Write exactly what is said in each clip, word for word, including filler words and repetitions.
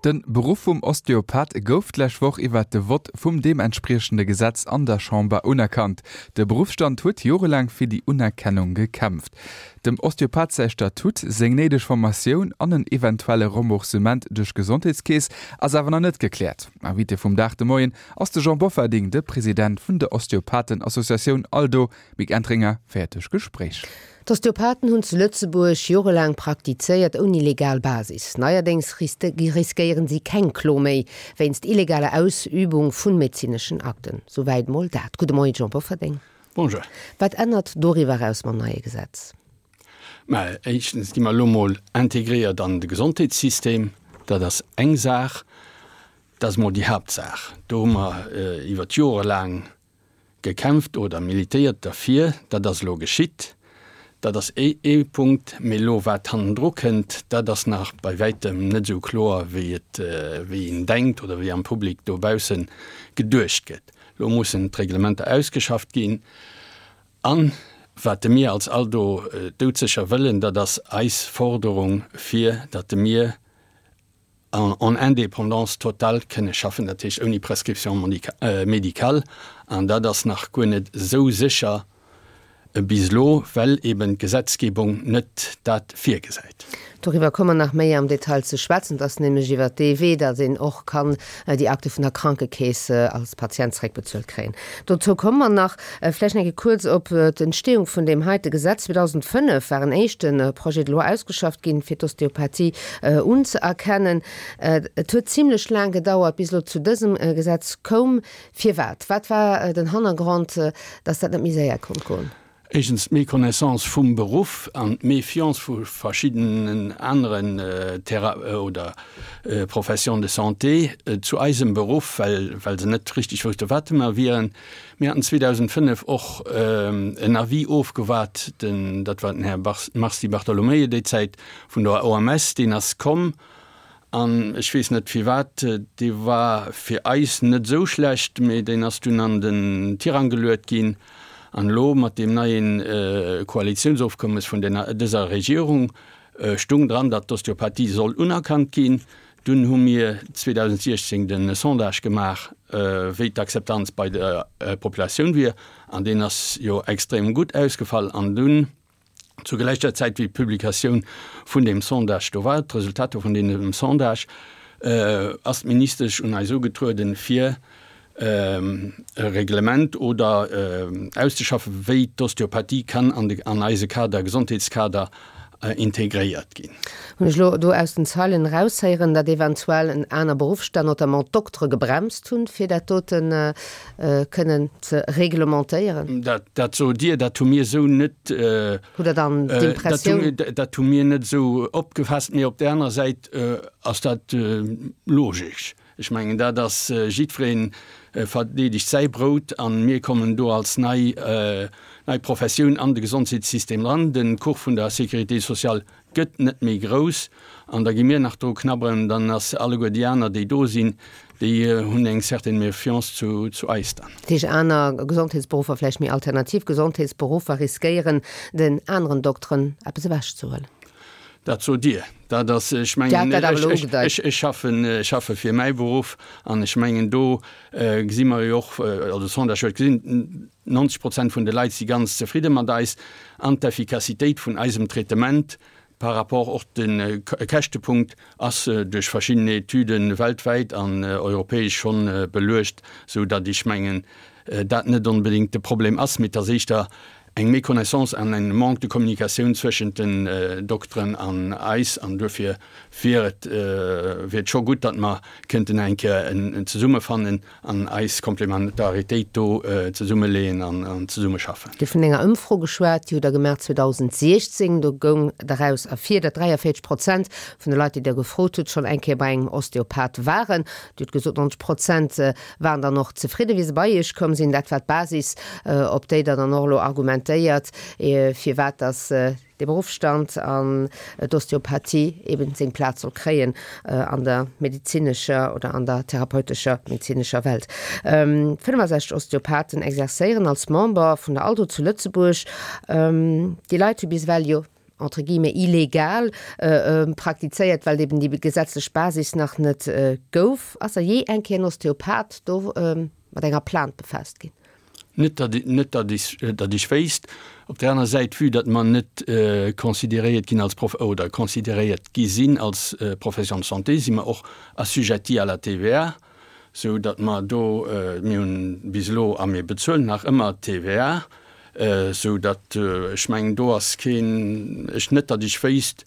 De Beruff vum Osteopath gouf d'lescht Woch iwwert de Vott vum deementspriechende Gesetz an der Chamber unerkannt. De Beruffsstand huet jorelaang fir déi Unerkennung gekämpft. Dem Osteopath säi Statut, seng néideg Formatioun an en eventuelle Remboursement duerch d'Gesondheetskeess ass awer nach net gekläert. Invité vum Dag de Moien ass de Jean Bofferding, de President vun der Osteopathen-Associatioun ALDO. Mick Entringer féiert duerch d'Gespréich. D'Osteopathen hunn zu Lëtzebuerg jorelaang praktizéiert ouni legal Basis. Neierdéngs riskéieren si keng Klo méi wéinst illegaler Ausübung vun medezineschen Akten. Souwäit mol dat. Gudde Moien, Jean Bofferding. Bonjour. Wat ännert doriwwer eraus mam neie Gesetz? Mä éischtens gi mer elo mol integréiert an de Gesondheetssystem. Dat ass eng Saach. Dat ass mol déi Haaptsaach. Do hu mer iwwer d'Jore laang gekämpft oder militéiert derfir. Dat ass elo geschitt. Dat ass ee Punkt. Mee elo wat hannendru kënnt, dat ass nach bei wäitem net esou kloer, wéi et, wéi een denkt oder wéi am Public dobausse geduecht gëtt. Elo mussen d'Reglementer ausgeschafft ginn. An wat de mir als ALDO doudsécher wëllen, dat ass eis Forderung, fir datt de mir, en indépendance totale kënne schaffen, dat heescht ouni Prescription médicale, an dat ass nach guer net esou sécher bis elo, well eben d'Gesetzgebung net dat virgesäit. Doriwwer komme mer nach méi am Detail ze schwätzen. Et ass nämlech iwwert dee Wee, datt een och kann déi Akte vun der Krankekeess als Patient zeréckbezuelt kréien. Dozou komme mer nach. Vläicht nach eng Kéier kuerz op d'Entstehung vun deem heite Gesetz. zweedausendfënnef war en éischte Projet de loi ausgeschafft ginn, fir d'Osteopathie unzëerkennen. Et huet zimlech laang gedauert, bis elo zu dësem Gesetz koum. Firwat? Wat war den Hannergrond, datt dat net méi séier konnt goen? Éischtens d'Méconnaissance vum Beruff an d'Méfiance vu verschiddenen aneren Thera oder Professions de santé zu eisem Beruff, well well se net richtig wousste wat mer wieren. Mir haten zweedausendfënnef och en Avis ofgewaart, den, dat war den Här Mars Di Bartolomeo déi Zäit vun der O M S, deen ass komm. An ech weess net firwat, dee war fir eis net esou schlecht, mee deen ass dunn an den Tirang geluet ginn. An elo mat deem neie Koalitiounsofkommes vun dëser Regierung stung dran, datt d'Osteopathie soll unerkannt ginn. Dunn hu mir zweedausensiechzéng de Sondage gemaach, wéi d'Akzeptanz bei der Populatioun wier, an deen ass jo extrem gutt ausgefall. An dunn, zu gläicher Zäit wéi d'Publikatioun vun deem Sondage do war, d'Resultater vun deem Sondage, ass d'Ministesch un eis ugetrueden, fir e Reglement oder auszeschaffen, wéi d'Osteopathie kann an de, an eise Kader, Gesondheetskader integréiert ginn. Hunn ech elo do aus den Zeilen eraushéieren, datt eventuell en aner Beruffsstand, notamment d'Doktere gebremst hunn, fir dat doten kënnen ze reglementéieren? Dat, dat sot Dir, dat hu mir esou net. Hutt Der dann d'Impressioun? Dat hu mir net esou opgefaasst. Mee op där anerer Säit ass dat logesch. Ech mengen, dat ass, jiddweree verdeedegt säi Brout a mir kommen do als nei, nei Professioun an de Gesondheetssystem eran. De Kuch vun der Sécurité sociale gëtt net méi grouss an da gi mir nach dru knabberen, dann ass alleguer déi aner, déi do sinn, déi hunn eng certaine Méfiance zu, zu eis dann. Dat heescht, aner Gesondheetsberuffer, vläicht méi alternativ Gesondheetsberuffer riskéieren, den aneren Dokteren eppes ewechzehuelen? Dat sot Dir. Dat ass, ech mengen, ech schaffen, ech schaffe fir mäi Beruff an ech mengen, do gesi mer jo och, also de Sondage huet gesinn, neunzeg Prozent vun de Leit si ganz zefridde mat eis an d'Effikassitéit vun eisem Traitement par rapport och de Käschtepunkt ass duerch verschidden Etüde weltwäit an europäesch schonn beluecht, sou datt ech mengen, dat net onbedéngt de Problem ass, mee et ass éischter eng Méconnaissance an en Manque de communication zwëschent den Dokteren an eis, an duerfir wier et wier et scho gutt, datt mer kënnten eng Kéier zesummefannen an eis Komplementaritéit do zesummeleeën an zesummeschaffen. Dir hutt vun enger Ëmfro geschwat, déi hutt Der gemaach zweedausensiechzéng. Do goung daraus ervir, datt dräiavéierzeg Prozent vun de Leit, déi Der gefrot hutt, schonn eng Kéier bei engem Osteopath waren. Dir hutt gesot, neunzeg Prozent waren dann och zefridden, wéi se bei Iech komm sinn. Dat war d'Basis, op déi Der dann och elo argumentéiert, firwat dass dee Beruffsstand an d'Osteopathie eben seng Plaz soll kréien an der medezinescher oder an der therapeutescher medezinescher Welt. fënnefasechzeg Osteopathen exerzéieren als Member vun der ALDO zu Lëtzebuerg. Déi Leit hu bis ewell jo entre guillemets illegal praktizéiert, well eben déi gesetzlech Basis nach net gouf. Ass da jee eng Kéier en Osteopath do mat enger Plainte befaasst ginn? Net datt, datt ech, datt ech wéisst. Op där aner Säit, vue datt mer net consideréiert ginn als Prof oder consideréiert gi sinn als Profession de santé, si mer och assujetti à la T V A, sou datt mer do, mir hunn bis elo a mir bezuelen nach ëmmer T V A, sou datt ech mengen, do ass keen, ech net datt ech wéisst,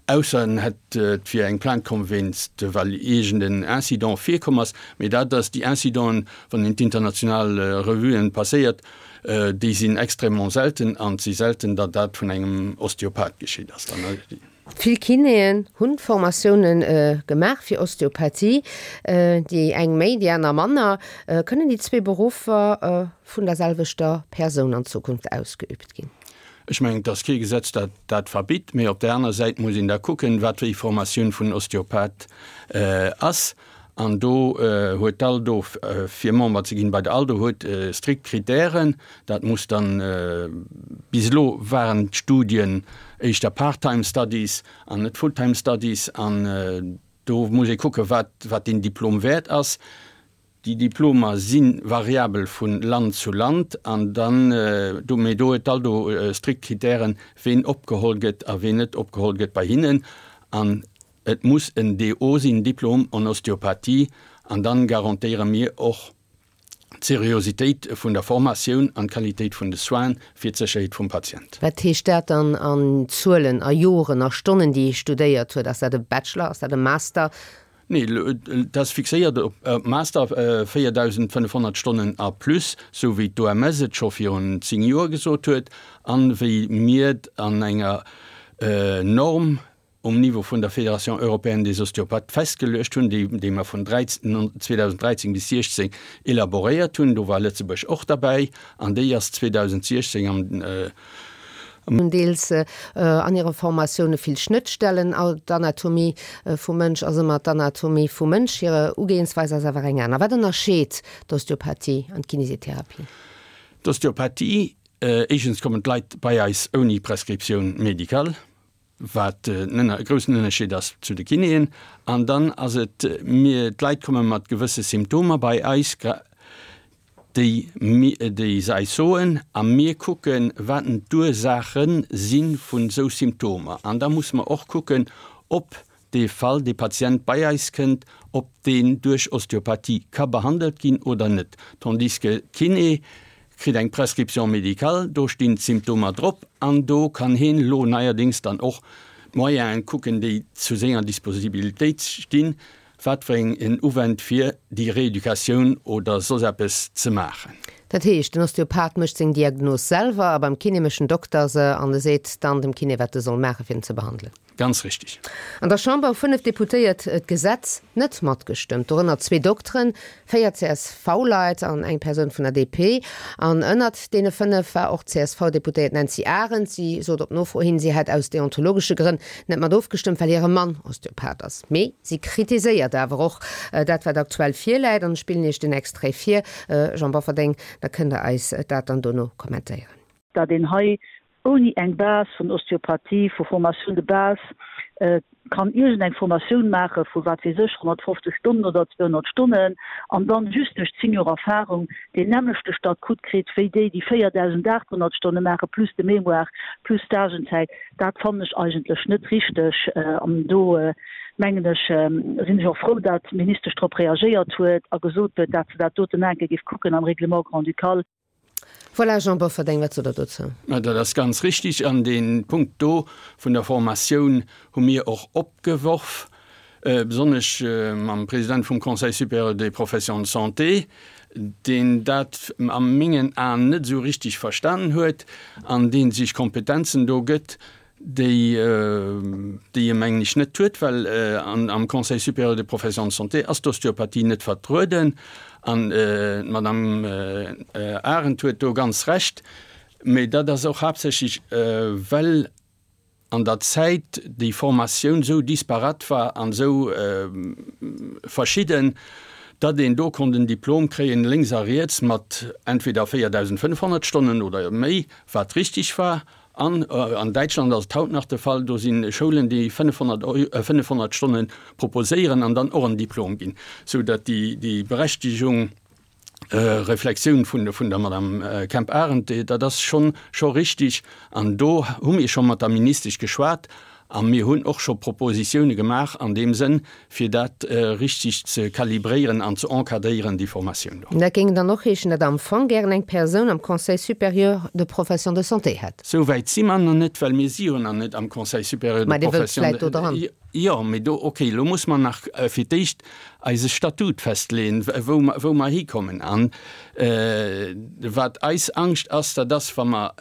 ausser en hätt, et wier eng Plainte komm wéinst, well iergend en Incident virkomm ass. Mee dat ass, déi Incidenten, wann een d'international Revuen passéiert, déi sinn extrêmement selten an et si selten, datt dat vun engem Osteopath geschitt ass. Vill Kinéen hunn Formatioune gemaach fir Osteopathie, déi eng méi, déi aner manner. Kënnen déi zwee Beruffer vun der selwechter Persoun an Zukunft ausgeüübt ginn? Ech mengen, et ass kee Gesetz, dat dat verbitt, mee op där aner Säit muss een da kucken, wat fir eng Formatioun vun Osteopath ass. An do huet d'ALDO, fir Member ze ginn bei der ALDO, huet strikt Kritären. Dat muss dann, bis elo waren d'Studien éischter part-time studies an net full-time studies, an do muss ee kucken, wat wat deen Diplom wäert ass. Déi Diplomer si variabel vu Land zu Land, an dann do, mee do huet d'ALDO strikt Kritären, ween opgeholl gëtt a ween net opgeholl gëtt bei hinnen. An et muss en D O sinn, Diplôme en ostéopathie, an dann garantéiere mir och d'Seriositéit vun der Formatioun an d'Qualitéit vun de Soinen fir d'Sécherheet vum Patient. Wat heescht dat dann an Zuelen, a Joren, a Stonnen, déi ee studéiert huet? Ass dat e Bachelor, ass dat e Master? Nee, dat ass fixéiert op Master, véierdausendfënnefhonnert Stonnen a plus, sou wéi d'O M S et scho virun zéng Joer gesot huet an wéi mir et an enger Norm um Niveau vun der Fédération européenne des ostéopathes festgeluecht hunn, déi déi mer vun zweedausenddräizéng bis siechzéng elaboréiert hunn. Do war Lëtzebuerg och derbäi an déi ass zweedausensiechzéng am Hunn deels an hire Formatioune vill Schnëttstellen. D'Anatomie vum Mënsch ass ëmmer d'Anatomie vum Mënsch, hir Ugeeënsweis ass awer eng aner. Wat ënnerscheet d'Osteopathie an d'Kinesitherapie? D'Osteopathie, éischtens kommen d'Leit bei eis ouni Prescriptioun médicale, wat en groussen Ënnerscheed ass zu de Kinéen. An dann ass et, mir, d'Leit komme mat gewësse Symptomer bei eis, déi, déi se eis soen, a mir kucken, wat d'Ursaache si vun esou Symptomer. An da musse mer och kucken, ob dee Fall, dee Patient bei eis kënnt, ob deen duerch Osteopathie ka behandelt ginn oder net. Tandis que Kiné kritt eng Prescription médicale, do stinn d'Symptomer drop an do kann hien elo neierdéngs dann och d'Moyenen kucken, déi zu senger Disposibilitéit stinn, wat fir eng en uwennt fir déi Rééducatioun oder soss eppes ze maachen. Dat heescht, den Osteopath mécht seng Diagnos selwer a beim Kiné mécht den Dokter se an e seet dann dem Kiné, wat e soll maachen, fir en ze behandelen. Ganz richtig. An der Chamber hu fënnef Deputéiert d'Gesetz net matgestëmmt, dorënner zwee Dokteren, véier C S V-Leit an eng Persoun vun der D P. An ënnert deene fënnef war och d'C S V-Deputéiert Nancy Arendt. Si sot op Nofro hin, si hätt aus deontologesche Grënn net mat ofgestëmmt, well hire Mann Osteopath ass. Mee si kritiséiert awer och dat, wat aktuell virläit. An ech spillen Iech den Extrait vir, Jean Bofferding, da kënnt Der eis dat dann dono kommentéieren. Datt een hei ouni eng Base vun Osteopathie, vu Formation de base, kann iergendeng Formatioun maache vu wat weess ech, honnertfofzeg Stonnen oder zweehonnert Stonnen an dann just duerch zéng Joer Erfahrung deen nämmlechte Statut kritt wéi déi, déi véierdausendaathonnert Stonne maache plus de Mémoire plus Stagenzäit, dat fannen ech eigentlech net richteg. An do mengen ech, sinn ech och frou, dat d'Ministesch drop reagéiert huet a gesot huet, dat se dat doten enke géif kucken am Règlement grand-ducal. Voilà, Jean Bofferding, wat sot Der dozou? Mä dat ass ganz richtig. An dee Punkt do vun der Formatioun hu mir och opgeworf, besonnesch mam President vum Conseil supérieur des professions de santé, deen dat a mengen Aen net esou richtig verstanen huet an dee sech Kompetenzen do gëtt, déi, déi e mengen ech net huet, well am Conseil supérieur des professions de santé ass d'Osteopathie net vertrueden. An d'Madame Arendt huet do ganz Recht. Mee dat ass och haaptsächlech, well an der Zäit déi Formatioun esou disparate war an esou verschidden, datt een do konnt en Diplom kréien lénks a riets mat entweder véierdausendfënnefhonnert Stonnen oder méi, wat richtig war. An an Däitschland ass et haut nach de Fall, do si Schoulen, déi fënnefhonnert Stonne proposéieren an dann och en Diplom ginn, sou datt déi Berechtigung, Reflexioun vun der Madame Kemp-Arendt, dat ass schonn scho richtig. An do hu mir scho mat der Ministesch geschwat a mir hunn och scho Propositioune gemaach an deem Sënn, fir dat richtig ze kalibréieren an ze encadréieren, déi Formatioun do. Dat géing dann och heeschen, datt Der am Fong gären eng Persoun am Conseil supérieur de professions de santé hätt. Sou wäit si mer nach net, well mir si jo nach net am Conseil supérieur de professions de. Mä Dir wëllt vläicht do dran. Jo, mee do, okay, elo muss mer nach fir d'éischt eise Statut festleeën, wou mer, wou mer hikommen. An wat eis Angscht ass, dat ass, wa mer,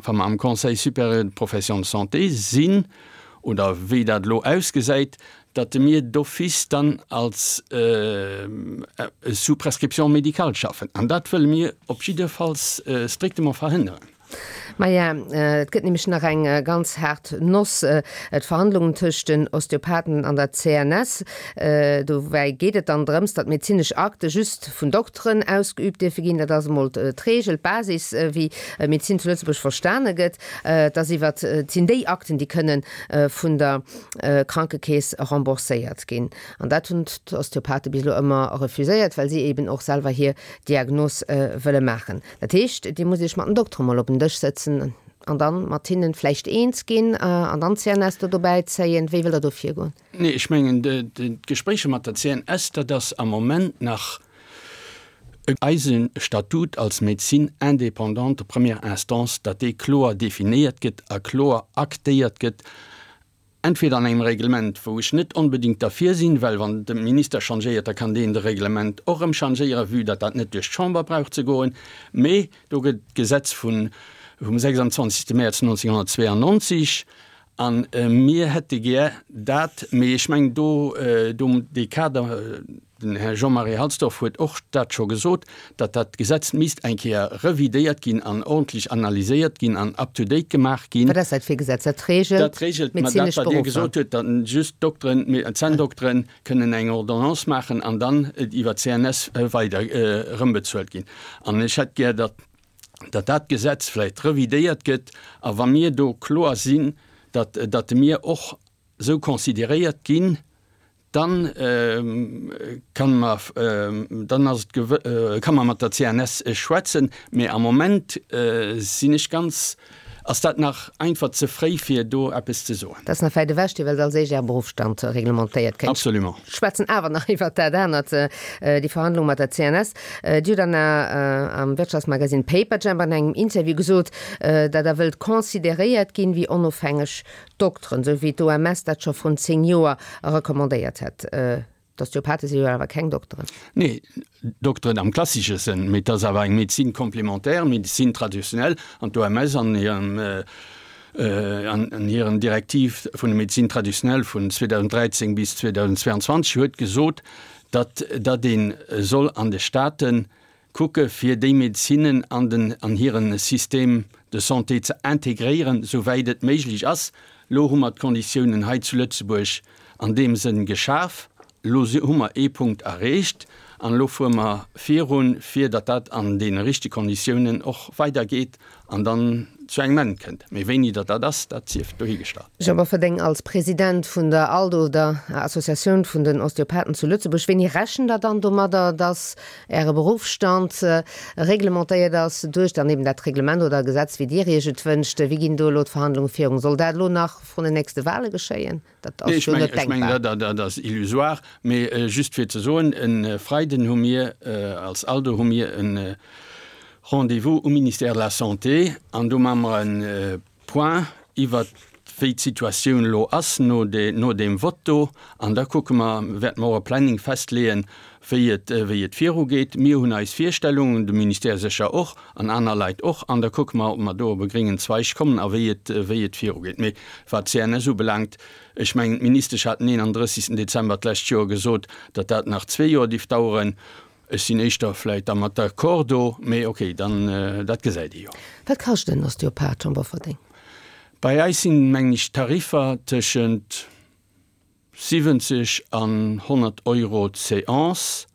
wa mer am Conseil supérieur de professions de santé sinn, oder wéi dat elo ausgesäit, datt mir d'office dann als sous prescription médicale schaffen. An dat wëlle mir op jiddefalls strictement verhënneren. Maja, et gëtt nämlech nach eng ganz haart Noss, d'Verhandlungen tëscht den Osteopathen an der C N S. Dobäi geet et dann drëms, datt medezinesch Akte just vun Dokteren ausgeüübt dierfe ginn. Dat ass emol d'Reegel, d'Basis, wéi Medezin zu Lëtzebuerg verstane gëtt. Et ass iwwer, et sinn déi Akten, déi kënne vun der Krankekeess rembourséiert ginn. An dat hunn d'Osteopathe bis elo ëmmer refuséiert, well si eben och selwer hir Diagnos wëlle maachen. Dat heescht, Dir musst Iech mat den Dokteren mol op en Dësch sëtzen an dann mat hinnen vläicht eens ginn an dann d'C N S do dobäi zéien. Wéi wëllt Der do virgoen? Nee, ech mengen, d'Gespréicher mat der C N S, dat ass am Moment nach eise Statut als Médecine indépendante de première instance, datt dee kloer definéiert gëtt a kloer aktéiert gëtt, entweder an engem Reglement, wou ech net onbedéngt derfir sinn, well wann de Minister changéiert, da kann deen de Reglement och erëm changéieren, vue datt dat net duerch d'Chamber brauch ze goen, mee do gëtt d'Gesetz vun vum sechsundzwanzegste Mäerz nonzénghonnertzweeanonzeg a mir hätte gär dat, mee ech mengen do, do dee Kader, den Här Jean-Marie Halsdorf huet och dat scho gesot, datt dat Gesetz misst eng Kéier revidéiert ginn an ordentlech analyséiert ginn an up-to-date gemaach ginn. Wat ass dat fir e Gesetz? Dat regelt Dat regelt, ma dat, medezinesch wat Dir Beruffer. gesot hutt, datt just d'Dokteren, Zänndokteren kënnen eng Ordonnance maachen an dann et iwwer d'C N S weider erëmbezuelt ginn. An ech hätt gär, datt datt dat Gesetz vläicht revidéiert gëtt a wa mir do kloer sinn, datt datt mir och esou consideréiert ginn, dann kann mer, dann ass et, ka mer mat der C N S schwätzen. Mee am Moment sinn ech ganz, ass dat nach einfach ze fréi fir do eppes ze soen. Dat ass nach wäit ewech. Dir wëllt als éischt Äre Beruffsstand reglementéiert kréien. Absolument. Ech schwätzen awer nach iwwert dat anert, déi Verhandlung mat der C N S. Dir hutt an am Wirtschaftsmagasinn Paperjam an engem Interview gesot, datt Der wëllt consideréiert ginn wéi onofhängeg Dokteren, esou wéi d'O M S dat scho vrun zéng Joer recommandéiert hätt. D'Osteopathe si jo awer keng Dokteren. Nee, Dokteren am klassesche Sënn, mee et ass awer eng Médecine complémentaire, Médecine traditionnelle, an d'O M S an hirem, an hiren Direktiv vun der Médecine traditionnelle vun zweedausend dräizéng bis zweedausend zweiundzwanzeg huet gesot, datt, datt ee soll an de Staaten kucke fir déi Medezinen an den, an hiren Système de santé ze integréieren, souwäit et méiglech ass. Lo hu mer d'Konditiounen hei zu Lëtzebuerg an deem Sënn geschaf. Lo hu mer ee Punkt erreecht an elo fuere mer virun, fir datt dat an deene richtege Konditiounen och weidergeet an dann zu engem Enn kënnt. Mee wéini datt dat ass, dat sief dohigestallt. Jean Bofferding, als President vun der ALDO, der Associatioun vun den Osteopathen zu Lëtzebuerg, wéini rechent Der dann domadder, datt Äre Beruffsstand reglementéiert ass duerch dann eben dat Reglement oder Gesetz, wéi Dir Iech et wënscht? Wéi ginn do elo d'Verhandlunge virun? Soll dat elo nach vrun den nächste Wahle geschéien? Dat ass jo net denkbar. Ech mengen, dat ass illusoire. Mee just fir ze soen, e Freiden hu mir als ALDO hu mir e Rendez-vous um Ministère de la Santé an do maache mer e Point iwwert wéi d'Situatioun elo ass no no deem Vott do. An da kucke mer, wäerte mer och e Planning festleeën, wéi et wéi et virugeet. Mir hunn eis Virstellungen, de Ministère sécher och an aner Leit och. An da kucke mer, ob mer do op e gréngen Zweig kommen a wéi et wéi et virugeet. Mee wat d'C N S ubelaangt, ech mengen, d'Ministesch hat den eenandrëssigsten Dezember d'lescht Joer gesot, datt dat nach zwee Joer dierft daueren. Ech sinn éischter vläicht da mat d'accord do, mee okay, dann, dat gesäit ee jo. Wat kascht en Osteopath, Jean Bofferding? Bei eis sinn, mengen ech, d'Tariffer tëschent siwwenzeg an honnert Euro d'Séance,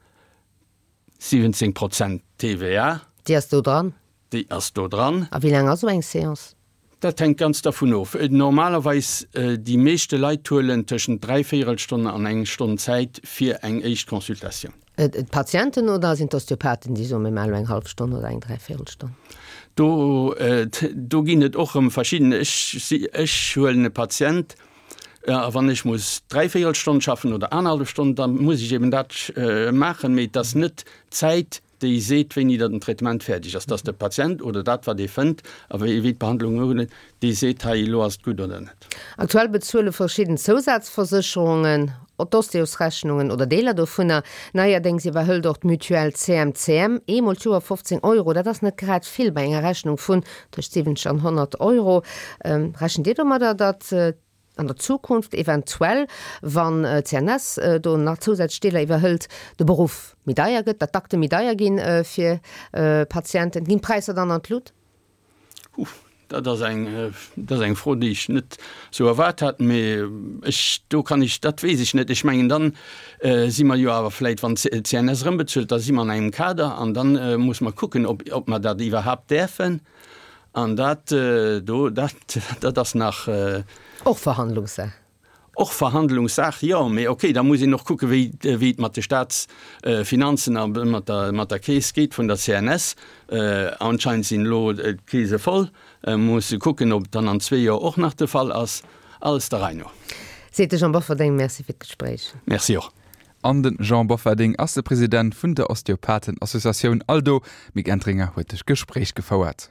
siwwenzéng Prozent T V A. Déi ass do dran? Déi ass do dran. A wéi laang ass esou eng Séance? Dat hänkt ganz dervun of. Normalerweis, déi meeschte Leit huelen tëschent dräivéierelstonn an eng Stonn Zäit fir eng éischt Consultatioun. D'Patienten oder sinn d'Osteopathen, déi soen, mir maachen elo eng hallef Stonn oder eng Dräivéierelstonn? Do, do ginn et och erëm verschidden. Ech si, ech huelen e Patient a wann ech muss dräivéierelstonn schaffen oder anerhallef Stonn, da muss ech eben dat maachen. Mee et ass net d'Zäit, déi seet, wéini datt den Traitement fäerdeg ass, dass de Patient oder dat, wat ee fënnt a wéi d'Behandlung ugeet, dee seet, hei elo ass et gutt oder net. Aktuell bezuele verschidden Zousazversécherungen d'Osteosrechnungen oder Deeler dovunner. Neierdéngs iwwerhëlt och d'Mutuelle CMCM eemol d'Joer fofzéng Euro. Dat ass net grad vill bei enger Rechnung vun tëscht siwwenzeg an honnert Euro. Rechent Dir domadder, datt an der Zukunft eventuell, wann d'CNS do nach zousätzlech Deeler iwwerhëlt, de Beruff méi deier gëtt, datt d'Akte méi deier gi fir Patienten? Ginn d'Präisser dann an d'Lut? Huh, dat ass eng, dat ass eng Fro, déi ech net esou erwaart hat. Mee ech, do kann ech, dat weess ech net. Ech mengen, dann si mer jo awer vläicht, wann d'CNS erëm bezuelt, da si mer an engem Kader an da muss mer kucken, ob, ob mer dat iwwerhaapt däerfen. An dat do, dat, dat ass nach. Och Verhandlungssaach. Och Verhandlungssaach, jo. Mee okay, da muss een och kucken, wéi, wéi et mat de Staatsfinanzen a mat der, mat der Keess geet vun der C N S. Anscheinend sinn elo d'Keese voll. Muss e kucken, ob et dann an zwee Joer och nach de Fall ass. Alles der Rei no. Seet de Jean Bofferding. Merci fir d'Gespréich. Merci och. An de Jean Bofferding ass de President vun der Osteopathen-Associatioun ALDO. D'Mick Entringer huet de Gespréich gefouert.